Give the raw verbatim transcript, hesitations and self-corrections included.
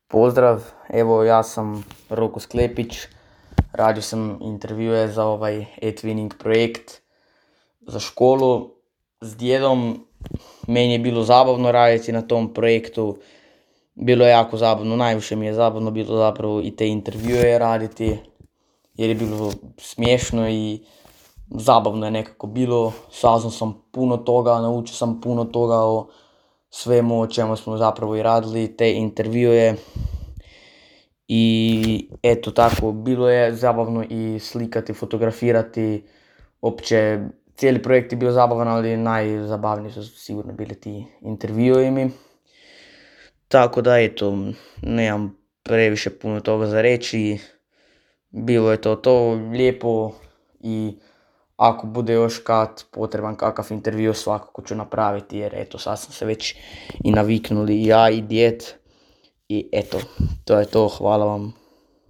Pozdrav, evo ja sam Roko Sklepić, radio sam intervjue za ovaj e-twinning projekt za školu s djedom. Meni je bilo zabavno raditi na tom projektu, bilo je jako zabavno, najviše mi je zabavno bilo zapravo i te intervjue raditi jer je bilo smiješno i zabavno je nekako bilo. Saznao sam puno toga, naučio sam puno toga o svemu o čemu smo zapravo i radili te intervjue. I eto tako, bilo je zabavno i slikati, fotografirati, opće cijeli projekt je bio zabavan, ali najzabavniji su sigurno bili ti intervjui mi. Tako da eto, nemam previše puno toga za reći, bilo je to to lijepo i ako bude još kad potreban kakav intervju svakako ću napraviti jer eto sad sam se već i naviknuli i ja i djed i eto, to je to, hvala vam.